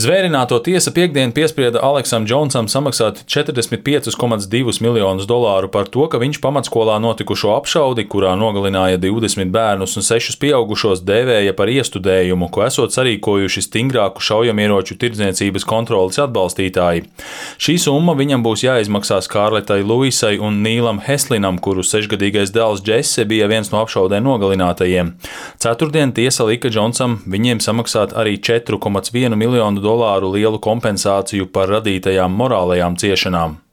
Zvērināto tiesa piektdien piesprieda Aleksam Džonsam samaksāt $45,2 miljonus par to, ka viņš pamatskolā notikušo apšaudi, kurā nogalināja 20 bērnus un 6 pieaugušos, dēvēja par iestudējumu, ko esot sarīkojuši stingrāku šaujamieroču tirdzniecības kontroles atbalstītāji. Šī summa viņam būs jāizmaksā Skārletai Luisai un Nīlam Heslinam, kuru 6-gadīgais dēls Džesse bija viens no apšaudē nogalinātajiem. Ceturtdien tiesa lika Džonsam viņiem samaksāt arī $4,1 miljonu lielu kompensāciju par radītajām morālajām ciešanām.